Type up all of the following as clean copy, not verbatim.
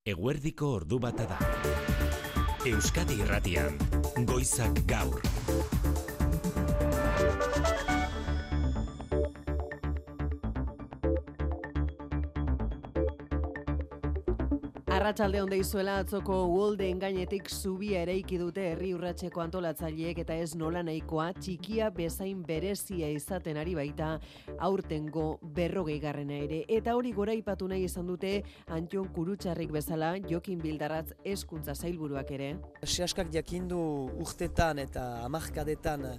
Eguerdiko ordu bata da. Euskadi Irratian, Goizak Gaur. Arratsalde on deizuela, atzoko uholden gainetik zubia eraiki dute herri urratseko antolatzaileek eta ez nola nahikoa txikia bezain berezia izaten ari baita aurtengo 40garrena ere. Eta hori goraipatu nahi izan dute Antion Kurutxarrik bezala Jokin Bildarratz hezkuntza sailburuak ere. Sehaskak jakindu urtetan eta hamarkadetan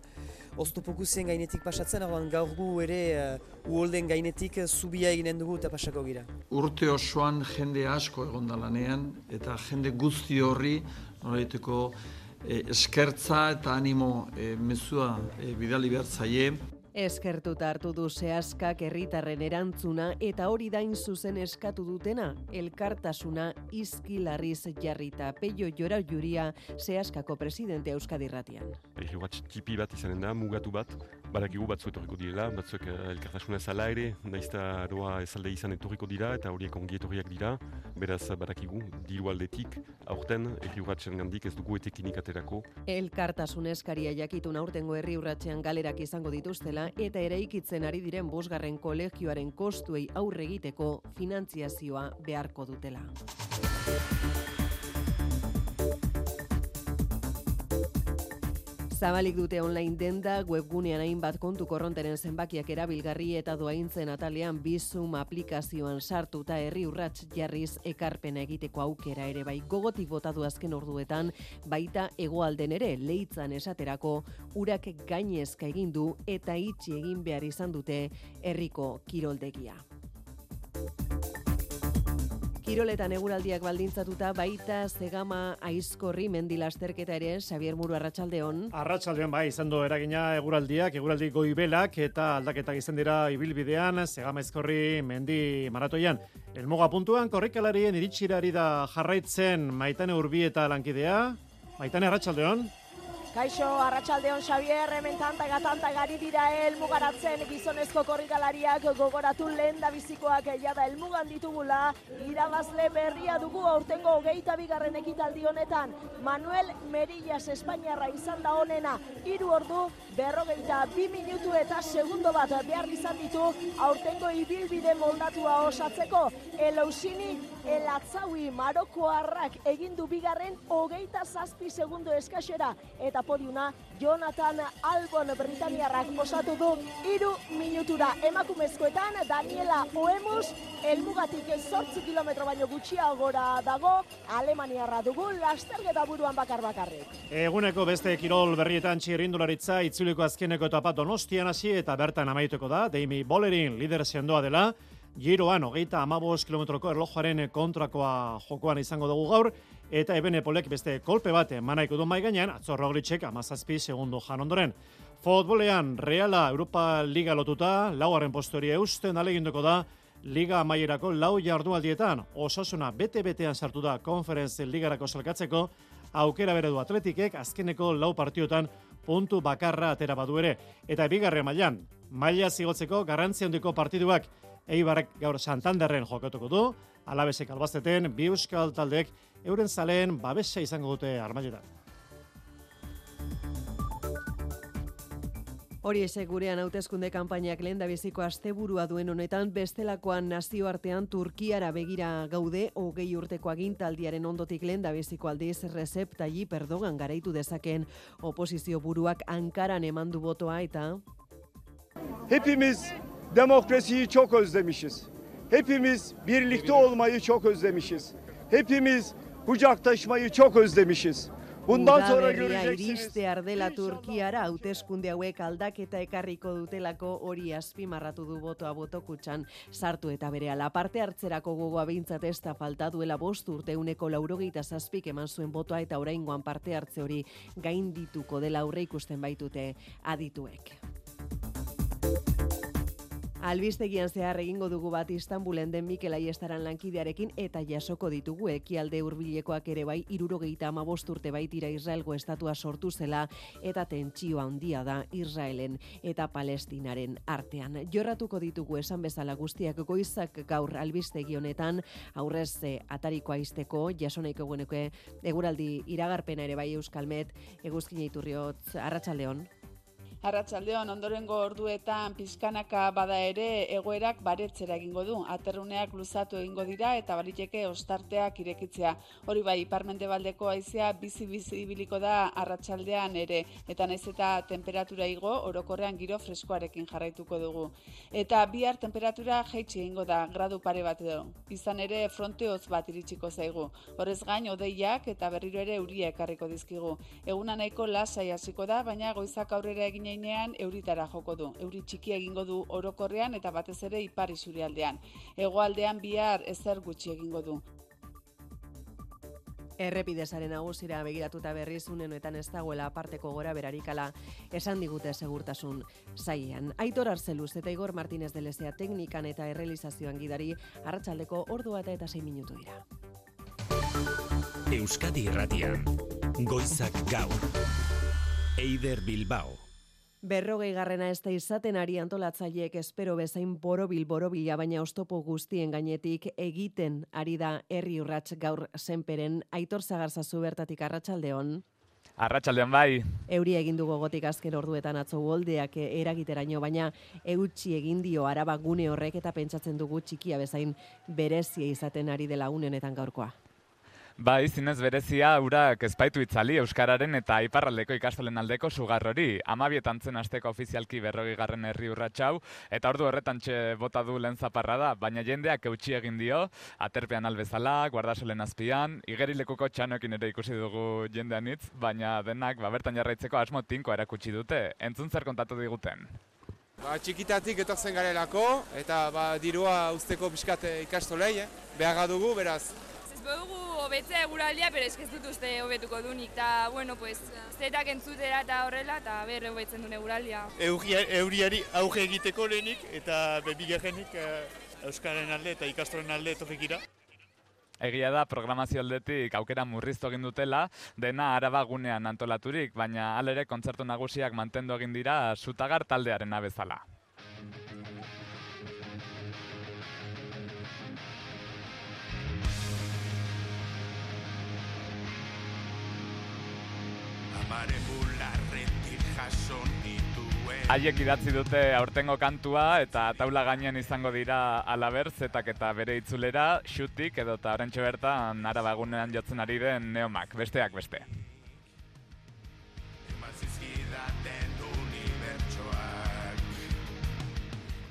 oztopokuzien gainetik pasatzen, gaur gu ere uholden gainetik zubia eginen dugu eta pasako gira. Urte osoan jende asko egon da lanean eta jende guzti horri noraiteko eskertza eta animo mezua bidali behar zaie. Eskertuta hartu du Sehaskak herritarren erantzuna eta hori dain zuzen eskatu dutena, elkartasuna izkilarriz jarrita. Peio Jora Juria, Sehaskako presidente Euskadi Irratian. Herri tipi bat izanen da, mugatu bat, badakigu batzu etorriko direla, batzuek elkartasuna ezala ere, naizta aroa ezalde izan etorriko dira eta horiek ongi etorriak dira, beraz badakigu, diru aldetik, aurten herri urratsen gandik ez dugu etekinik aterako. Elkartasun eskaria jakitun aurtengo herri urratsean galerak izango dituztela eta eraikitzen ari diren 5. kolegioaren kostuei aurre egiteko finantziazioa beharko dutela. Zabalik dute online denda, webgunean hainbat kontu korronteren zenbakiak erabilgarri eta doaintzen atalean Bizum aplikazioan sartuta herri urrats jarriz ekarpena egiteko aukera ere bai. Gogotik botatu azken orduetan, baita hegoalden ere Leitzan esaterako urak gainezka egin du eta itxi egin behar izan dute herriko kiroldegia. Kiroletan eguraldiak baldintzatuta baita Zegama Aizkorri mendi lasterketa ere. Xabier Muru, arratsaldeon. Arratsaldeon bai, izan du eragina eguraldi goibelak eta aldaketak izan dira ibilbidean Zegama Aizkorri mendi maratoian. Helmuga puntuan korrikalarien iritsirari da jarraitzen Maitane Urbieta lankidea. Maitane, arratsaldeon. Kaixo, arratsaldeon Xabier, hemen tanta gari dira helmugaratzen gizonezko korrikalariak gogoratu lehendabizikoak jada helmugan ditugula. Irabazle berria dugu aurtengo 22. ekitaldi honetan. Manuel Merillas Espainiarra izan da honena. 3 ordu, 42 minutu eta segundo bat behar izan ditu aurtengo ibilbide moldatua osatzeko. Elousini Elatzaui Marokoarrak egindu bigarren 27 segundo eskasera eta podiuna Jonathan Albon Britaniarrak osatu du 3 minutura. Emakumezkoetan Daniela Oemus helmugatik 8 kilometro baino gutxiagora dago, Alemaniarra dugu lasterketa buruan bakarrik. Eguneko beste kirol berrietan txirrindularitza itzuliko azkeneko etapa Donostian hasi eta bertan amaituko da. Demi Bollerin lider sendoa dela. Giroan 35 kilometroko erlojuaren kontrakoa jokoan izango dugu gaur, eta Ebenepolek beste kolpe bat emanaiko du mai gainean, atzo Roglicek 17 segundo jan ondoren. Futbolean Reala Europa Liga lotuta, 4. postori eusten aleginduko da, Liga amaierako 4 jardunaldietan. Osasuna bete-betean sartu da Conference Ligarako salkatzeko, aukera bere du Atletikek azkeneko 4 partiotan puntu bakarra atera badu ere. Eta bigarren mailan, maila zigotzeko garrantzi handiko partiduak Eibarrek gaur Santanderren jokatuko du, Alabesek Albazteten, bi euskal taldeek euren zaleen babesa izango dute Armailetan. Hori esek gurean hauteskunde kanpainak lehendabiziko asteburua duen honetan, bestelakoan nazioartean Turkiara begira gaude, 20 urteko agintaldiaren ondotik lehendabiziko aldiz Recep Tayyip Erdogan garaitu dezaken oposizio buruak Ankaran emandu botoa eta Hepimiz demokrasiyi çok özlemişiz. Hepimiz birlikte olmayı çok özlemişiz. Hepimiz kucaktaşmayı çok özlemişiz. Bundan sonra göreceksiniz. Iristear dela Turkiara hauteskunde hauek aldaketa ekarriko dutelako hori azpimarratu du botoa botokutxan sartu eta berehala parte hartzerako gogoa behintzat ez da falta duela 5 urte 187 eman zuen botoa eta oraingoan parte hartze hori gaindituko dela aurre ikusten baitute adituek. Albistegian zehar egingo dugu bat Istanbulen den Mikel Aiestaran lankidearekin eta jasoko ditugu ekialde hurbilekoak ere bai 75 urte baitira Israelgo estatua sortu zela eta tentsioa handia da Israelen eta Palestinaren artean. Jorratuko ditugu esan bezala guztiak goizak gaur albistegi honetan aurrez atarikoa izteko jasonaiko genuke eguraldi iragarpena ere bai Euskalmet Eguzkina Iturriotz arratsaldeon. Arratsaldeon ondorengo orduetan pizkanaka bada ere egoerak baretzera egingo du. Aterruneak luzatu egingo dira eta baliteke ostarteak irekitzea. Hori bai, ipar-mendebaldeko haizea bizi-bizi ibiliko da arratsaldean ere. Eta naiz eta temperatura igo, orokorrean giro freskoarekin jarraituko dugu. Eta bihar temperatura jaitsi egingo da, gradu pare bat edo. Izan ere fronte hotz bat iritsiko zaigu. Horrez gain, hodeiak eta berriro ere euria ekarriko dizkigu. Eguna nahiko lasai hasiko da, baina goizak aurrera egin euritara joko du. Euri txiki egingo du orokorrean eta batez ere ipar isurialdean. Hegoaldean bihar ezer gutxi egingo du. Errepidesaren nagusira begiratuta berriz unenetan ez dagoela aparteko gora berarikala esan digute segurtasun sailean. Aitor Arzeluz eta Igor Martínez de Lezea teknikan eta errealizazioan gidari arratsaldeko ordua eta 6 minutu dira. Euskadi Irratian, goizak gaur. Eider Bilbao. 40. ez da izaten ari antolatzaileek espero bezain borobila, baina oztopo guztien gainetik egiten ari da herri urrats gaur senperen. Aitor Zagarzazu bertatik arratsaldeon. Arratsaldeon bai. Euria egin du gogotik azken orduetan atzo uholdeak eragiteraino, baina eutsi egin dio Araba gune horrek eta pentsatzen dugu txikia bezain berezia izaten ari dela une honetan gaurkoa. Bai, zinez berezia urak ezpaitu itzali Euskararen eta iparraldeko ikastolen aldeko sugar hori. 12 zen asteko ofizialki 40. herri urratxau, eta ordu horretan bota du lehen zaparra da, baina jendeak eutsi egin dio, aterpean albezala, guardasolen azpian, igerilekuko txanoekin ere ikusi dugu jendean hitz, baina denak bertan jarraitzeko asmo tinko erakutsi dute. Entzun zer kontatu diguten. Txikitatik etortzen garelako, eta dirua usteko pixkat ikastolei, beharra dugu, beraz. Dugu hobetzea eguraldia, pero ez dut uste hobetuko dunik, eta, zetak entzutera eta horrela, eta berre hobetzen duen eguraldia. Euriari auge egiteko lehenik, eta bigarrenik Euskaren alde eta ikastolen alde etorrikira. Egia da, programazio aldetik aukera murriztu egin dutela, dena Araba gunean antolaturik, baina halere kontzertu nagusiak mantendu egin dira Zutagar taldearen bezala. Haiek idatzi dute aurtengo kantua eta taula gainean izango dira Alaber, Zetak eta bere itzulera, Xutik edota oraintxe bertan Araba egunean jotzen ari den Neomak, besteak beste.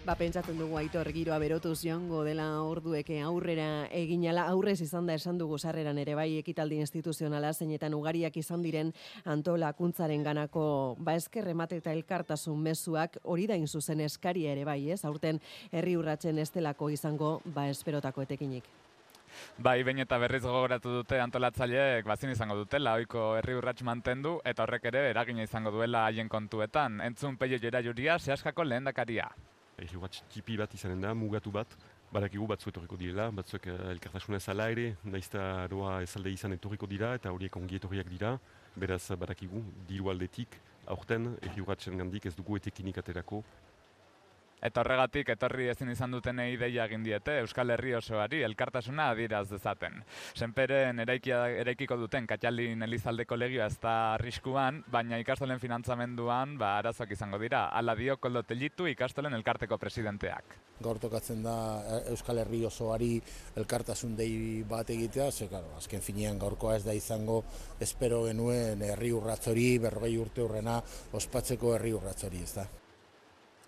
Pentsatzen dugu Aitor giroa berotuz joango dela ordueke aurrera eginala, aurrez izan da esan dugu sarreran ere bai ekitaldi instituzionala zeinetan ugariak izan diren antolakuntzaren ganako esker emate eta elkartasun mezuak hori da zuzen eskaria ere bai, ez? Aurten herri urratsen estelako izango esperotako etekinik. Bai, behin eta berriz gogoratu dute antolatzaileek bazin izango dutela, ohiko herri urrats mantendu eta horrek ere eragina izango duela haien kontuetan. Entzun Peio Jerajuria, Seaskako lehendakaria. Herri urrats tipi bat izanen da, mugatu bat, badakigu batzu etorriko direla, batzuek elkartasuna ezala ere, naizta doa ezalde izan etorriko dira eta horiek ongi etorriak dira, beraz badakigu, diru aldetik, aurten herri urratsen gandik ez dugu etekinik aterako. Eta horregatik etorri ezin izan dutenei deia egin diete Euskal Herri osoari elkartasuna adieraz dezaten. Senperen eraikiko duten Katxalin Elizaldeko legioa ez da arriskuan, baina ikastolen finantzamenduan arazoak izango dira. Hala dio Koldo Tellitu ikastolen elkarteko presidenteak. Gaur tokatzen da Euskal Herri osoari elkartasun dei bat egitea, azken finean gaurkoa ez da izango espero genuen herri urrats hori, 40 urte hurrena ospatzeko herri urrats hori, ez da.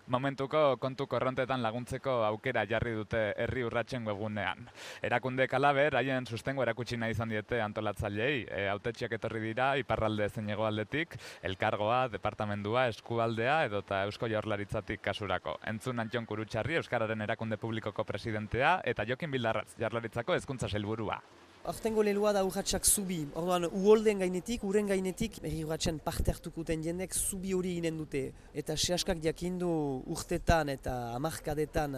Momentuko kontu korrontetan laguntzeko aukera jarri dute herri urratsen webgunean. Erakunde Alaber haien sustengo erakutsi nahi izan diete antolatzaileei. Hautetsiak etorri dira iparralde zein hegoaldetik, elkargoa, departamendua, eskualdea edota Eusko Jaurlaritzatik kasurako. Entzun Antxon Kurutxarri Euskararen erakunde publikoko presidentea eta Jokin Bildarratz Jaurlaritzako hezkuntza sailburua. Aurtengo leloa da urratsak zubi. Orduan, uholden gainetik, uren gainetik, herri urratsen parte hartukuten jendek zubi hori ginen dute. Eta sehaskak jakindu urtetan eta hamarkadetan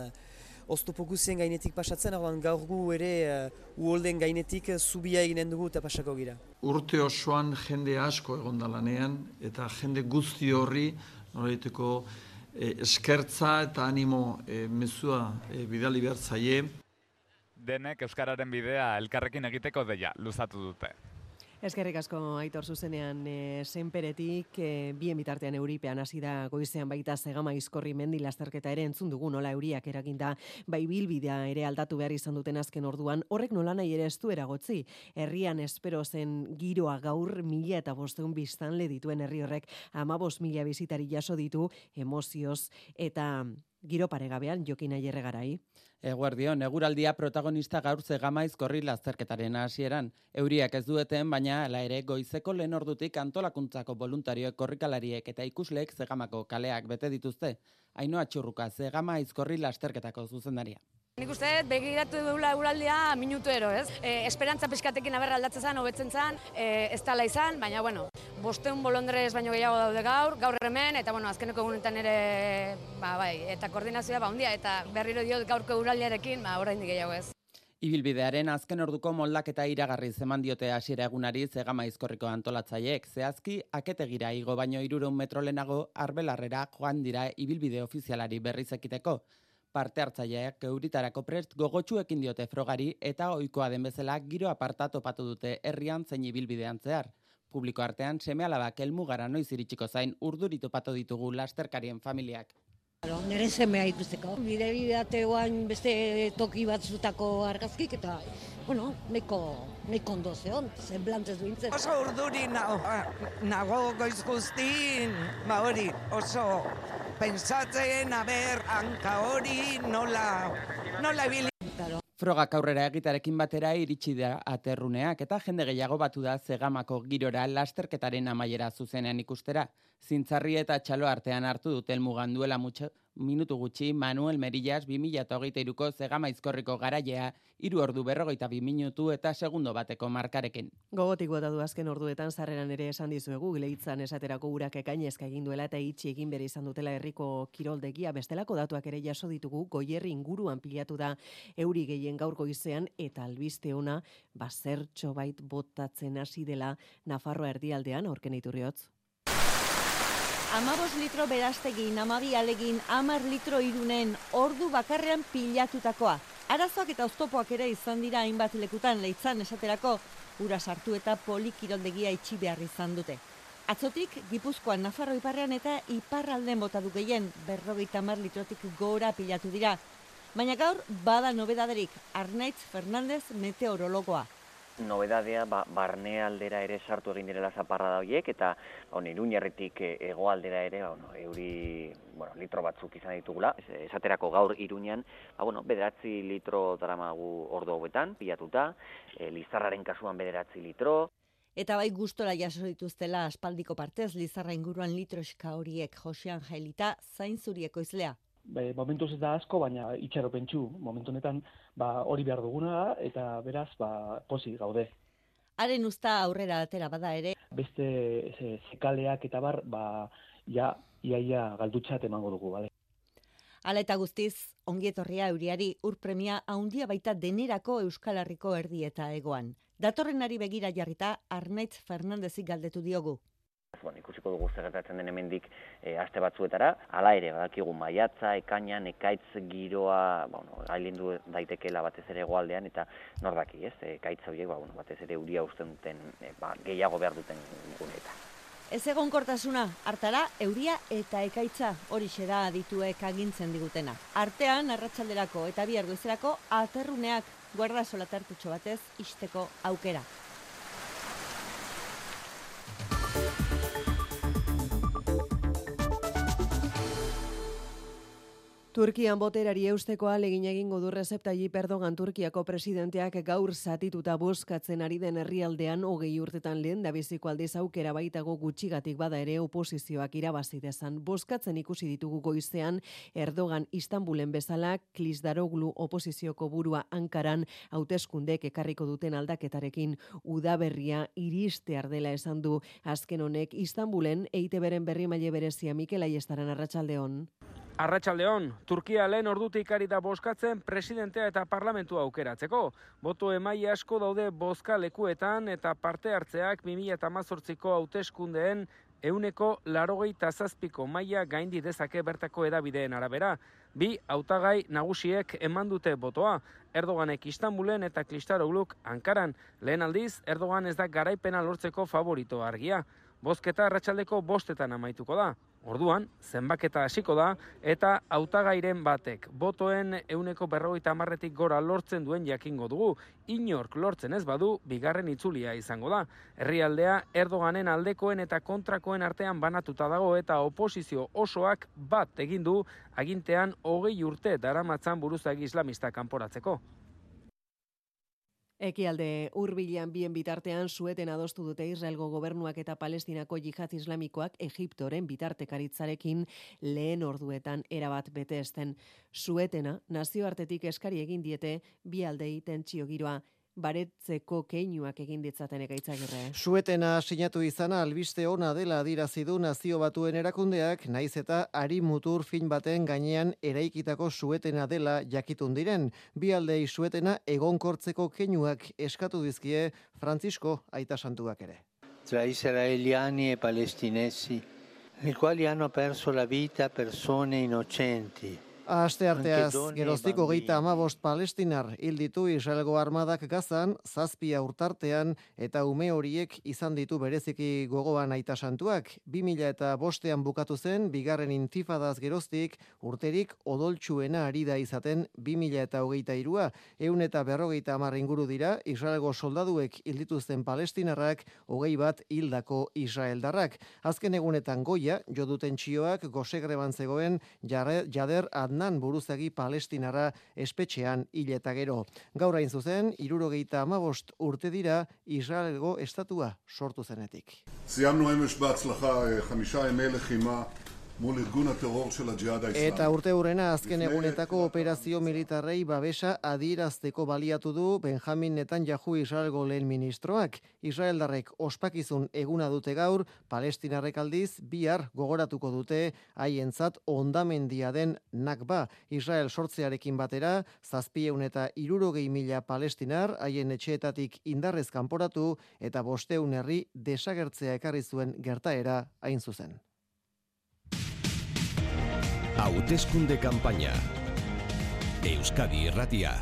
oztopo guzien gainetik pasatzen, orduan gaur gu ere uholden gainetik zubia eginen dugu eta pasako gira. Urte osoan jende asko egon da lanean, eta jende guzti horri nolaiteko eskertza eta animo mezua bidali behar zaie. Denek euskararen bidea elkarrekin egiteko deia luzatu dute. Eskerrik asko Aitor zuzenean senperetik, bien bitartean euripean hasi da goizean baita Zegama Aizkorri mendi lasterketa ere entzun dugu nola euriak eraginda, bai bilbidea ere aldatu behar izan duten azken orduan, horrek nolanahi ere ez du eragotzi. Herrian espero zen giroa gaur 1500 biztanle dituen herri horrek 15.000 bisitari jaso ditu emozioz eta giro paregabean Jokin Aierregarai. Eguerdion, eguraldia protagonista gaur Zegama Aizkorri lasterketaren hasieran. Euriak ez dueten, baina hala ere goizeko lehen ordutik antolakuntzako voluntarioek, korrikalariek eta ikusleek Zegamako kaleak bete dituzte. Ainhoa Txurruka, Zegama Aizkorri lasterketako zuzendaria. Nik uste begiratu dugula eguraldia minutuero, ez? Esperantza pixkatekin aberra aldatzen zen, hobetzen zen, ez tala izan, baina, 500 bolondrez baino gehiago daude gaur hemen, eta, azkeneko egunetan ere, eta koordinazioa, handia, eta berriro diot gaurko eguraldiarekin, oraindik gehiago ez. Ibilbidearen azken orduko moldaketa iragarri eman diote hasiera egunari Zegama Aizkorriko antolatzaileek. Zehazki, aketegira igo baino 300 metro lehenago Arbelarrera joan dira ibilbide ofizialari berriz ekiteko. Parte hartzaileak euritarako prest gogotsuekin diote frogari eta ohikoa den bezala giro aparta topatu dute herrian zein ibilbidean zehar. Publiko artean seme-alabak helmugara noiz iritsiko zain urduri topatu ditugu lasterkarien familiak. Nire semea ikusteko. Bideateoan beste toki batzutako argazkik eta, nahiko ondo zeon, zenblantez duintzen. Oso urduri nago goiz guztin, hori, oso pentsatzen, hanka hori nola ebili. Frogak aurrera egitarekin batera iritsi da aterruneak eta jende gehiago batu da Zegamako girora lasterketaren amaiera zuzenean ikustera. Zintzarri eta txalo artean hartu dute helmugan duela minutu gutxi Manuel Merillas 2023ko Zegama Aizkorriko garailea 3 ordu 42 minutu eta segundo bateko markarekin. Gogotik bota du azken orduetan sarreran ere esan dizuegu Leitzan esaterako urak ekainezka egin duela eta itxi egin bere izan dutela herriko kiroldegia, bestelako datuak ere jaso ditugu. Goierri inguruan pilatu da euri gehien gaur goizean eta albiste ona zertxo bait botatzen hasi dela Nafarroa erdialdean, aurken Iturriotz. 15 litro beraztegin, 12 alegin, 10 litro Irunen, ordu bakarrean pilatutakoa. Arazoak eta oztopoak ere izan dira hainbat lekutan Leitzan esaterako, ura sartu eta polikiroldegia itxi behar izan dute. Atzotik, Gipuzkoan, Nafarro iparrean eta iparralden bota du gehien, 50 litrotik gora pilatu dira. Baina gaur, bada nobedaderik, Arnaitz Fernandez meteorologoa. Nobedadea barne aldera ere sartu egin direla zaparrada horiek eta Iruñerritik hegoaldera ere euri litro batzuk izan ditugula. Esaterako gaur Iruñan 9 litro daramagu ordu hauetan pilatuta, Lizarraren kasuan 9 litro. Eta bai gustora jaso dituztela aspaldiko partez Lizarra inguruan litroska horiek Josean Jailita zainzurieko izlea. Momentuz ez da asko, baina itxaropentsu. Momentu honetan hori behar duguna da, eta beraz pozik gaude. Haren usta aurrera atera bada ere. Beste zekaleak eta iaia galdutxat emango dugu, bale? Hala eta guztiz, ongietorria euriari urpremia handia baita denerako Euskal Herriko erdi eta egoan. Datorrenari begira jarrita Arnaitz Fernandezik galdetu diogu. Ikusiko dugu zer gertatzen den hemendik aste batzuetara. Hala ere, badakigu maiatza, ekainan, ekaitz giroa, gailendu daitekeela batez ere hegoaldean eta nor daki, ez? Ekaitz horiek batez ere euria uzten duten gehiago behar duten guneetan. Ez egonkortasuna, hartara euria eta ekaitza horixe da adituek agintzen digutena. Artean, arratsalderako eta bihar goizerako aterruneak guarda solatartutxo batez ixteko aukera. Turkian boterari eusteko ahalegin egingo du Recep Tayyip Erdogan Turkiako presidenteak gaur zatituta bozkatzen ari den herrialdean 20 urtetan lehen dabiziko aldiz aukera baitago gutxigatik bada ere oposizioak irabazi dezan. Bozkatzen ikusi ditugu goizean Erdogan Istanbulen bezala Kılıçdaroğlu oposizioko burua Ankaran hauteskundek ekarriko duten aldaketarekin udaberria iristear dela esan du. Azken honek Istanbulen EITBren berrimaile berezia Mikel Aiestaran arratsaldeon. Arratsaldeon, Turkia lehen ordutik ari da bozkatzen presidentea eta parlamentua aukeratzeko. Boto emaile asko daude bozka lekuetan eta parte hartzeak 2018ko hauteskundeen 87% maila gaindi dezake bertako hedabideen arabera. Bi hautagai nagusiek eman dute botoa. Erdoganek Istanbulen eta Kılıçdaroğluk Ankaran. Lehen aldiz, Erdogan ez da garaipena lortzeko favorito argia. Bozketa arratsaldeko 5etan amaituko da. Orduan, zenbaketa hasiko da eta hautagairen batek botoen 50%tik gora lortzen duen jakingo dugu. Inork lortzen ez badu, bigarren itzulia izango da. Herrialdea Erdoganen aldekoen eta kontrakoen artean banatuta dago eta oposizio osoak bat egin du agintean 20 urte daramatzan buruzagi islamista kanporatzeko. Ekialde hurbilean bien bitartean sueten adostu dute Israelgo gobernuak eta Palestinako jihad islamikoak Egiptoren bitartekaritzarekin lehen orduetan erabat bete ezten. Suetena nazioartetik eskari egin diete bi aldei tentsio giroa baretzeko keinuak egin ditzaten Ekaitzagirre. Suetena sinatu izana albiste ona dela adierazi du Nazio Batuen erakundeak, naiz eta ari mutur fin baten gainean eraikitako suetena dela jakitun diren. Bi aldei suetena egonkortzeko keinuak eskatu dizkie Francisco Aita Santuak ere. Tra israeliani e palestinesi, nei quali hanno perso la vita persone innocenti. Astearteaz, geroztik 35 palestinar hil ditu Israelgo armadak Gazan, 7 urtartean eta ume horiek izan ditu bereziki gogoan Aita Santuak. 2005ean bukatu zen, bigarren intifadaz geroztik, urterik odoltsuena ari da izaten 2023a. 150 inguru dira, Israelgo soldaduek hil dituzten palestinarrak, 21 hildako israeldarrak. Azken egunetan goia, jo duten txioak, gosegreban zegoen Jader Adnan buruzagi palestinara espetxean hil eta gero. Gaur hain zuzen, 75 urte dira Israelgo estatua sortu zenetik. סיימנו אמש בהצלחה 5 ימי לחימה mul irgun terror של הג'יהאד האסלאמי. Eta urte hurrena azken egunetako operazio militarrei babesa adierazteko baliatu du Benjamin Netanyahu Israelgo lehen ministroak. Israeldarrek ospakizun eguna dute gaur, palestinarrek aldiz bihar gogoratuko dute haientzat hondamendia den Nakba. Israel sortzearekin batera 760.000 palestinar haien etxeetatik indarrez kanporatu eta 500 herri desagertzea ekarri zuen gertaera hain zuzen. Hauteskunde kanpaina. Euskadi Irratia.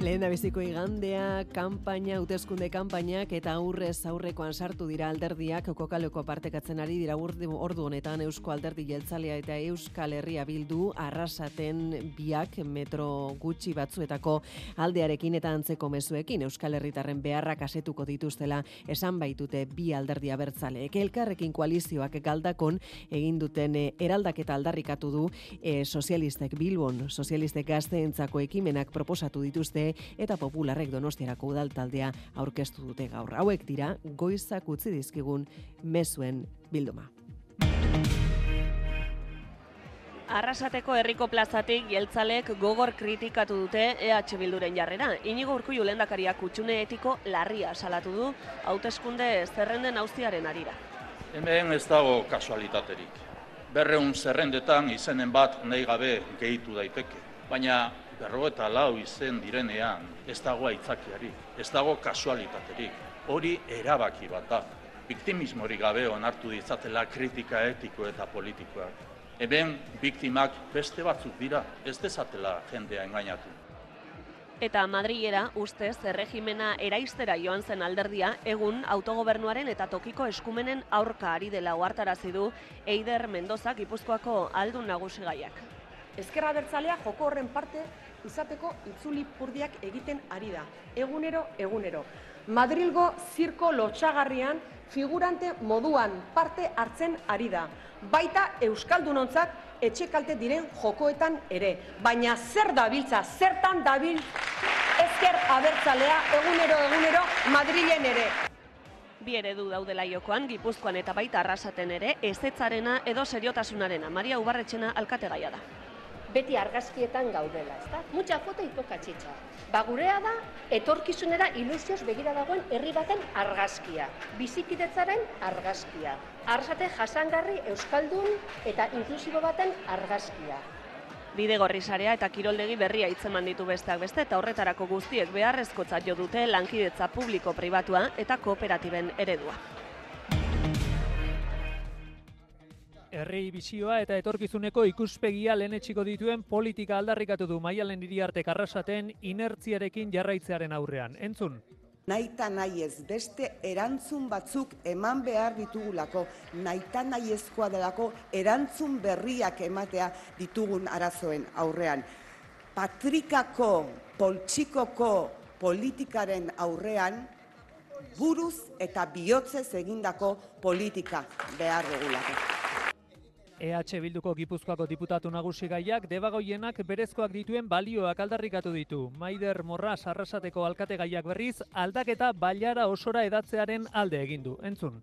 Lehendabiziko igandea, kanpaina, hauteskunde kanpainak eta aurrez aurrekoan sartu dira alderdiak kokaleko partekatzen ari dira ordu honetan Eusko Alderdi Jeltzalea eta Euskal Herria Bildu arrasaten biak metro gutxi batzuetako aldearekin eta antzeko mezuekin Euskal Herritarren beharrak asetuko dituztela esan baitute bi alderdi abertzaleek. Elkarrekin koalizioak galdakon egin duten eraldaketa aldarrikatu du sozialistek Bilbon, sozialistek gazteentzako ekimenak proposatu dituzte eta popularrek Donostiarako udaltaldea aurkeztu dute gaur. Hauek dira goizak utzi dizkigun mezuen bilduma. Arrasateko herriko plazatik jeltzalek gogor kritikatu dute EH Bilduren jarrera. Inigo Urkullu lehendakariak hutsune etiko larria salatu du hauteskunde zerrenden auziaren harira. Hemen ez dago kasualitaterik. 200 zerrendetan izenen bat nahi gabe gehitu daiteke. Baina 54 izen direnean ez dago aitzakiarik, ez dago kasualitaterik. Hori erabaki bat da. Biktimismorik gabe onartu ditzatela kritika etiko eta politikoak. Hemen biktimak beste batzuk dira, ez dezatela jendea engainatu. Eta Madrilera ustez erregimena eraistera joan zen alderdia egun autogobernuaren eta tokiko eskumenen aurka ari dela ohartarazi du Eider Mendoza Gipuzkoako aldun nagusigaiak. Ezkerra Abertzalea joko horren parte izateko itzuli purdiak egiten ari da, egunero. Madrilgo zirko lotsagarrian figurante moduan parte hartzen ari da. baita euskaldunontzat etxe kalte diren jokoetan ere. Baina zer dabiltza, zertan dabil ezker abertzalea egunero Madrilen ere. Bi eredu daudela jokoan, Gipuzkoan eta baita Arrasaten ere, ezetzarena edo seriotasunarena. Maria Ubarretxena alkategaia da. Beti argazkietan gaudela, ezta? Mucha foto y poca chicha. Ba gurea da, etorkizunera ilusioz begira dagoen herri baten argazkia. Bizikidetzaren argazkia. Arrasate jasangarri euskaldun eta inklusibo baten argazkia. Bidegorri sarea eta kiroldegi berria hitzeman ditu besteak beste eta horretarako guztiek beharrezkotzat jo dute lankidetza publiko-pribatua eta kooperatiben eredua. Herri bizioa eta etorkizuneko ikuspegia lehenetsiko dituen politika aldarrikatu du Maialen Iriartek Arrasaten inertziarekin jarraitzearen aurrean. Entzun. Naita nahi ez beste erantzun batzuk eman behar ditugulako, naita nahi ezkoa delako erantzun berriak ematea ditugun arazoen aurrean. Patrikako, poltsikoko politikaren aurrean, buruz eta bihotzez egindako politika behar dugulako. EH Bilduko Gipuzkoako diputatu nagusi gaiak debagoienak berezkoak dituen balioak aldarrikatu ditu. Maider Morras Arrasateko alkategaiak berriz aldaketa bailara osora edatzearen alde egin du. Entzun.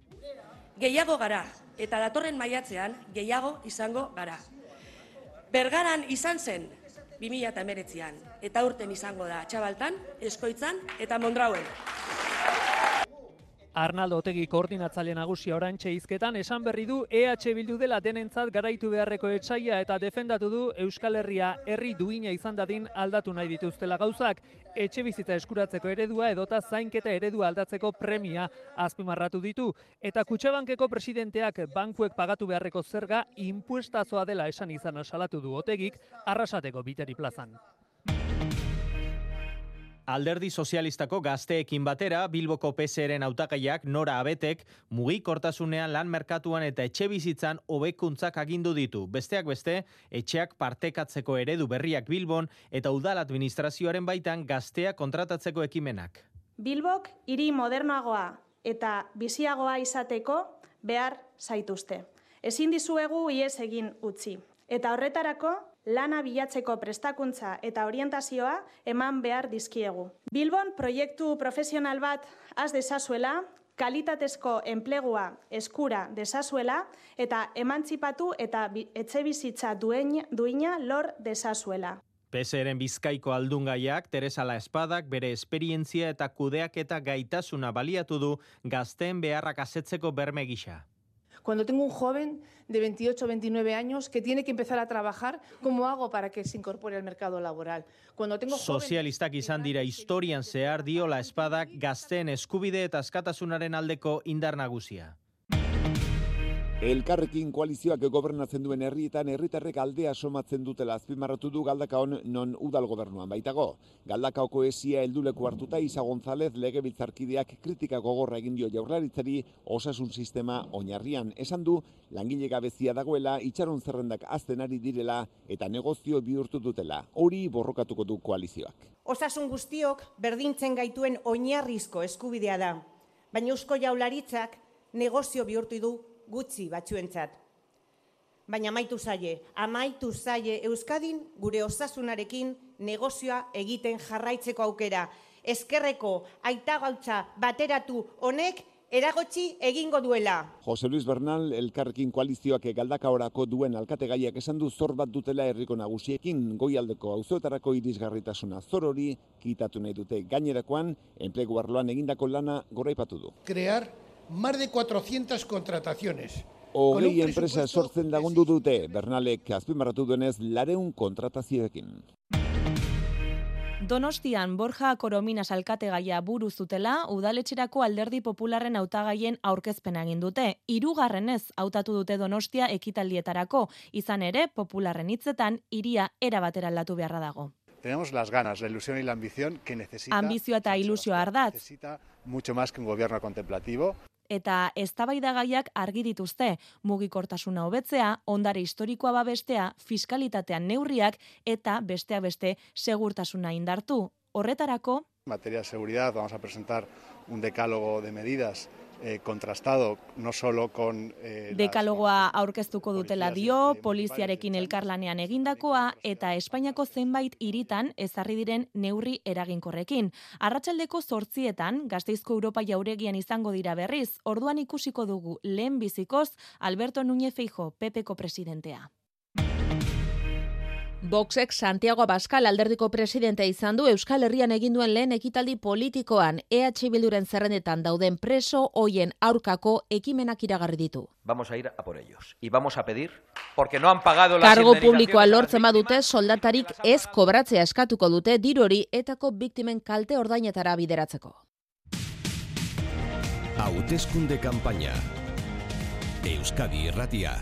Gehiago gara eta datorren maiatzean gehiago izango gara. Bergaran izan zen 2019an eta urten izango da Txabaltan, Eskoitzan eta Mondrauen. Arnaldo Otegi koordinatzaile nagusia oraintxe hizketan esan berri du EH Bildu dela denentzat garaitu beharreko etsaia eta defendatu du Euskal Herria herri duina izan dadin aldatu nahi dituztela gauzak. Etxebizitza eskuratzeko eredua edota zainketa eredua aldatzeko premia azpimarratu ditu. Eta Kutxabankeko presidenteak bankuek pagatu beharreko zerga inpuestazoa dela esan izana salatu du Otegik Arrasateko Biteri plazan. Alderdi Sozialistako gazteekin batera, Bilboko PSeren hautagaiak Nora Abetek mugikortasunean lan merkatuan eta etxebizitzan hobekuntzak agindu ditu. Besteak beste, etxeak partekatzeko eredu berriak Bilbon eta udal administrazioaren baitan gaztea kontratatzeko ekimenak. Bilbok hiri modernoagoa eta biziagoa izateko behar zaituzte. Ezin dizuegu ihes egin utzi. Eta horretarako, lana bilatzeko prestakuntza eta orientazioa eman behar dizkiegu. Bilbon proiektu profesional bat has dezazuela, kalitatezko enplegua eskura dezazuela eta emantzipatu eta etxebizitza duina lor dezazuela. PSeren Bizkaiko aldungaiak Teresa La Espadak bere esperientzia eta kudeaketa gaitasuna baliatu du gazteen beharrak asetzeko berme gisa. Cuando tengo un joven de 28 o 29 años que tiene que empezar a trabajar, ¿cómo hago para que se incorpore al mercado laboral? Cuando tengo Sozialistak izan dira historian zehar dio La Espadak gazteen eskubide eta askatasunaren aldeko indar nagusia. Elkarrekin koalizioak gobernatzen duen herrietan herritarrek aldea somatzen dutela azpimarratu du Galdakaon non udal gobernuan baitago. Galdakaoko esia helduleku hartuta Isa González legebiltzarkideak kritika gogorra egin dio Jaurlaritzari osasun sistema oinarrian. Esan du langile gabezia dagoela, itxaron zerrendak hazten ari direla eta negozio bihurtu dutela. Hori borrokatuko du koalizioak. Osasun guztiok berdintzen gaituen oinarrizko eskubidea da, baina Eusko Jaurlaritzak negozio bihurtu du gutxi batzuentzat. Baina amaitu zaie Euskadin gure osasunarekin negozioa egiten jarraitzeko aukera. Ezkerreko aitagautza bateratu honek eragotzi egingo duela. Jose Luis Bernal Elkarrekin koalizioak Galdakaorako duen alkategaiak esan du zor bat dutela herriko nagusiekin, goialdeko auzoetarako irisgarritasuna zor hori kitatu nahi dute. Gainerakoan enplegu arloan egindako lana goraipatu du. Crear más de 400 contrataciones. Hogei enpresa sortzen lagundu dute, Bernalek azpimarratu duenez 400 kontratazioekin. Donostian Borja Korominas alkategaia buru zutela, udaletxerako Alderdi Popularren hautagaien aurkezpena egin dute. 3. hautatu dute Donostia ekitaldietarako, izan ere Popularren hitzetan hiria era batera aldatu beharra dago. Tenemos las ganas, la ilusión y la ambición que necesita. Ambizioa eta ilusioa ardatz. Necesita mucho más que un gobierno contemplativo. Eta eztabaidagaiak argi dituzte, mugikortasuna hobetzea, ondare historikoa babestea, fiskalitatean neurriak eta besteak beste segurtasuna indartu. Horretarako, En materia de seguridad vamos a presentar un decálogo de medidas contrastado no solo con... Dekalogoa aurkeztuko dutela dio, poliziarekin elkarlanean egindakoa eta Espainiako zenbait hiritan ezarri diren neurri eraginkorrekin. Arratsaldeko 8etan Gasteizko Europa Jauregian izango dira berriz, orduan ikusiko dugu lehen bizikoz Alberto Núñez Feijóo, PPko presidentea. Voxek Santiago Abascal alderdiko presidentea izan du Euskal Herrian egin duen lehen ekitaldi politikoan. EH Bilduren zerrendetan dauden preso hoien aurkako ekimenak iragarri ditu. Vamos a ir a por ellos y vamos a pedir porque no han pagado las Kargo indemnizaciones. publikoa lortzen badute soldatarik ez kobratzea eskatuko dute diru hori etako biktimen kalte ordainetara bideratzeko. Hauteskunde kanpaina. Euskadi Irratia.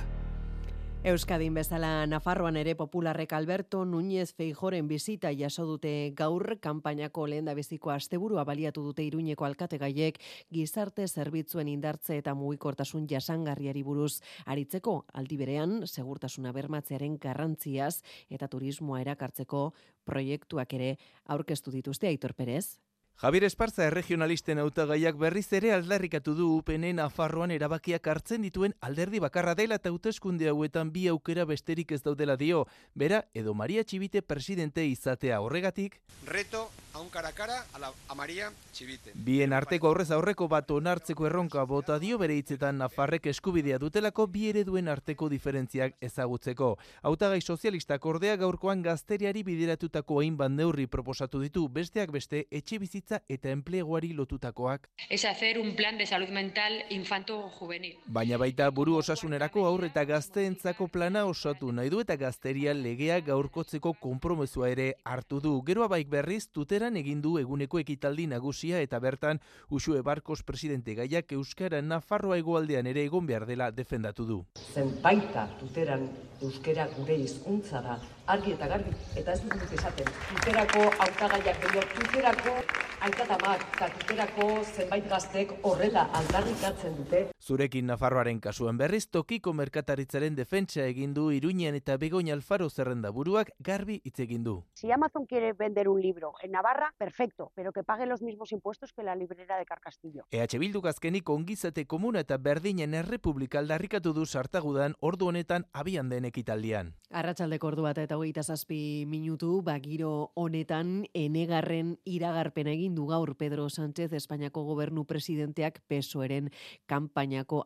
Euskadin bezala Nafarroan ere popularrek Alberto Núñez Feijóoren bizita jaso dute gaur, kanpainako lehendabiziko asteburua baliatu dute Iruñeko alkategaiek gizarte zerbitzuen indartze eta mugikortasun jasangarriari buruz aritzeko, aldi berean segurtasuna bermatzearen garrantziaz eta turismoa erakartzeko proiektuak ere aurkeztu dituzte. Aitor Perez. Javier Esparza erregionalisten hautagaiak berriz ere aldarrikatu du UPN Nafarroan erabakiak hartzen dituen alderdi bakarra dela eta hauteskunde hauetan bi aukera besterik ez daudela dio. Bera edo Maria Txibite presidente izatea horregatik. Reto a un cara a cara a Maria Txibite. Bien arteko aurrez aurreko bat onartzeko erronka bota dio bere hitzetan Nafarrek eskubidea dutelako bi ereduen arteko diferentziak ezagutzeko. Hautagai sozialistak ordea gaurkoan gazteriari bideratutako hainbat neurri proposatu ditu, besteak beste etxebizitza eta enpleguari lotutakoak. Es hacer un plan de salud mental infanto-juvenil. Baina baita buru osasunerako aur eta gazteentzako plana osatu nahi du eta gazteria legea gaurkotzeko konpromezua ere hartu du. Geroa baik berriz tuteran egin du eguneko ekitaldi nagusia eta bertan Uxue Barkos presidente gaiak euskara Nafarroa hegoaldean ere egon behar dela defendatu du. Zenbaita tuteran euskara gure hizkuntza da, argi eta garbi, eta ez dut esaten. Tuterako hautagaiak edo tuterako aitatamak eta tuterako zenbait gaztek horrela aldarrikatzen dute. Zurekin Nafarroaren kasuan berriz tokiko merkataritzaren defentsa egin du Iruñean eta Begoña Alfaro zerrendaburuak garbi hitz egin du. Si Amazon quiere vender un libro en Navarra, perfecto, pero que pague los mismos impuestos que la librera de Carcastillo. EH Bilduk azkenik ongizate komuna eta berdinen errepublika aldarrikatu du sartagudan ordu honetan abian den ekitaldian. Arratsaldeko ordu bat eta 27 minutu, giro honetan enegarren iragarpena egin du gaur Pedro Sánchez Espainiako gobernu presidenteak PSOEren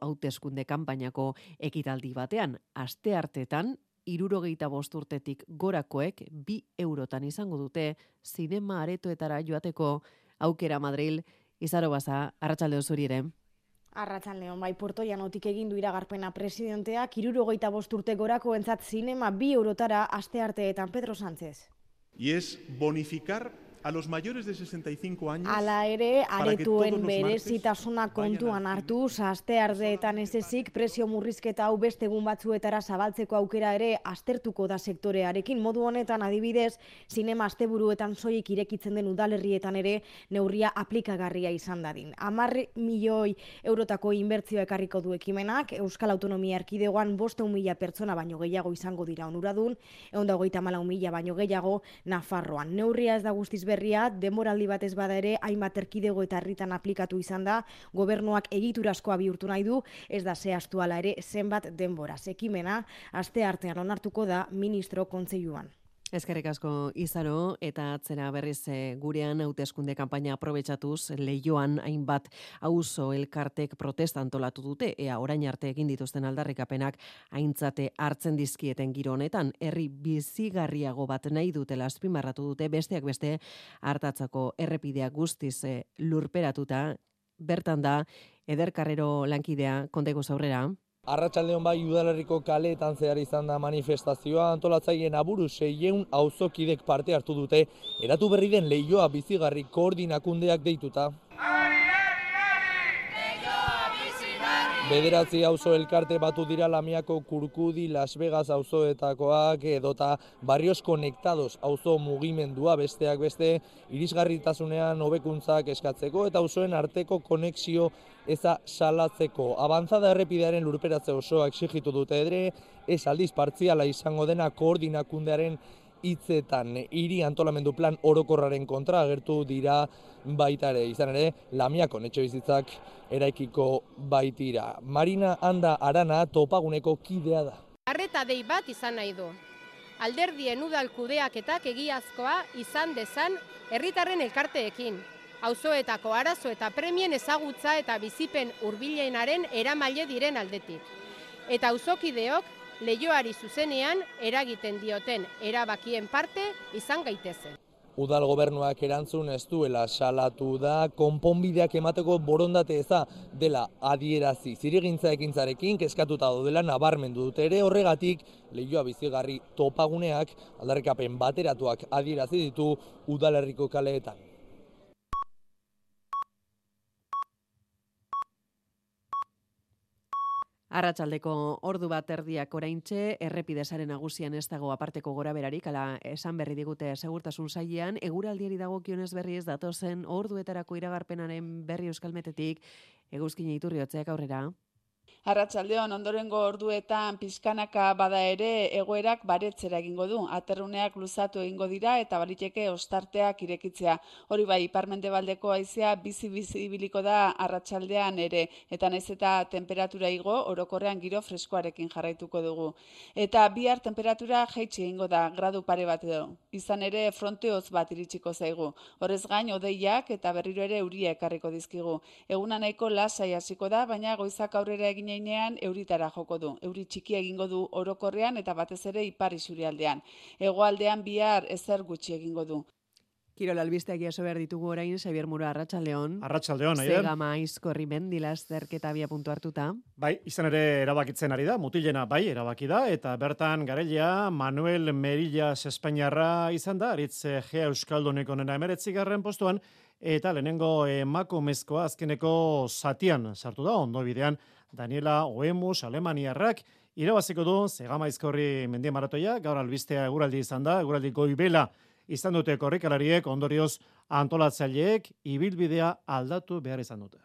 hauteskunde kanpainako ekitaldi batean. Asteartetan 65 urtetik gorakoek 2 eurotan izango dute zinema aretoetara joateko aukera Madril. Izaro Baza, arratsalde zuri ere. Arratsaldeon, bai, Puerto Llanotik egin du iragarpena presidenteak 65 urte gorakoentzat zinema 2 eurotara astearteetan Pedro Sánchez. Y es bonificar a los mayores de 65 años. Hala ere, aretuen berezitasuna kontuan hartu, astearteetan ez ezik, prezio murrizketa hau beste egun batzuetara zabaltzeko aukera ere aztertuko da sektorearekin. Modu honetan adibidez, zinema asteburuetan soilik irekitzen den udalerrietan ere neurria aplikagarria izan dadin. 10 milioi eurotako inbertzioa ekarriko du ekimenak, Euskal Autonomia Erkidegoan 500.000 pertsona baino gehiago izango dira onuradun, 134.000 baino gehiago Nafarroan. Neurria ez da guztiz berria, denboraldi batez bada ere, hainbat erkidego eta herritan aplikatu izan da, gobernuak egiturazkoa bihurtu nahi du, ez da zehaztu hala ere zenbat denboraz. Ekimena, asteartean onartuko da ministro kontseiluan. Eskerrik asko Izaro, eta atzera berriz gurean hauteskunde kanpaina aprobetxatuz Leioan hainbat auzo elkartek protesta antolatu dute, ea orain arte egin dituzten aldarrikapenak aintzate hartzen dizkieten giro honetan. Herri bizigarriago bat nahi dutela azpimarratu dute, besteak beste hartatzako errepidea guztiz lurperatuta. Bertan da Eder Carrero lankidea, konteko aurrera. Arratsaldeon bai udalerriko kaleetan zehar izan da manifestazioa, antolatzaileen aburu 600 auzokidek parte hartu dute, eratu berri den Leioa bizigarri koordinakundeak deituta. Bederatzi auzo elkarte batu dira Lamiako Kurkudi, Las Vegas auzoetakoak edota Barrios Conectados auzo mugimendua besteak beste irisgarritasunean hobekuntzak eskatzeko eta auzoen arteko konexio eza salatzeko. Avanzada errepidearen lurperatze osoa exigitu dute ere, ez aldiz partziala izango dena koordinakundearen hitzetan hiri antolamendu plan orokorraren kontra agertu dira baita ere, izan ere, Lamiakon etxebizitzak eraikiko baitira. Marina Anda Arana topaguneko kidea da. Arreta dei bat izan nahi du. Alderdien udal kudeaketak egiazkoa izan dezan herritarren elkarteekin. Auzoetako arazo eta premien ezagutza eta bizipen hurbilenaren eramaile diren aldetik. Eta auzokideok leihoari zuzenean eragiten dioten erabakien parte izan gaitezen. Udal gobernuak erantzun ez duela salatu da, konponbideak emateko borondate eza dela adierazi zirigintza ekintzarekin kezkatuta daudela nabarmendu dute ere, horregatik leihoa bizigarri topaguneak aldarrikapen bateratuak adierazi ditu udalerriko kaleetan. Arratsaldeko ordu bat erdiak oraintxe, errepidesaren nagusian ez dago aparteko goraberarik, ala esan berri digute segurtasun sailean, eguraldiari dagokionez berriz datozen orduetarako iragarpenaren berri euskalmetetik, Eguzkin Iturriotzeak aurrera. Arratsaldeon ondorengo orduetan pizkanaka bada ere egoerak baretzera egingo du. Aterruneak luzatu egingo dira eta baliteke ostarteak irekitzea. Hori bai, ipar-mendebaldeko haizea bizi-bizi ibiliko da arratsaldean ere, eta naiz eta temperatura igo, orokorrean giro freskoarekin jarraituko dugu. Eta bihar temperatura jaitsi egingo da, gradu pare bat edo. Izan ere fronte hotz bat iritsiko zaigu. Horrez gain hodeiak eta berriro ere euria ekarriko dizkigu. Eguna nahiko lasai hasiko da, baina goizak aurrera egin euritara joko du. Euri txikia egingo du orokorrean eta batez ere ipar isurialdean. Hegoaldean bihar ezer gutxi egingo du. Kirol albisteak jaso behar ditugu orain, Xabier Muro, arratsaldeon. Arratsaldeon, Aider. Zegama Aizkorri mendilazterketa abia puntu hartuta. Bai, izan ere erabakitzen ari da, mutilena bai erabaki da, eta bertan garailea Manuel Merillas Espainiarra izan da, aritz Gea Euskalduneko nena 19. postuan, eta lehenengo emakumezkoa azkeneko zatian sartu da, ondo bidean Daniela Oemus Alemaniarrak irabaziko du Zegama Aizkorri mendien maratoia, gaur albistea eguraldi izan da, eguraldi goibela izan dute korrikalariek, ondorioz antolatzaileek ibilbidea aldatu behar izan dute.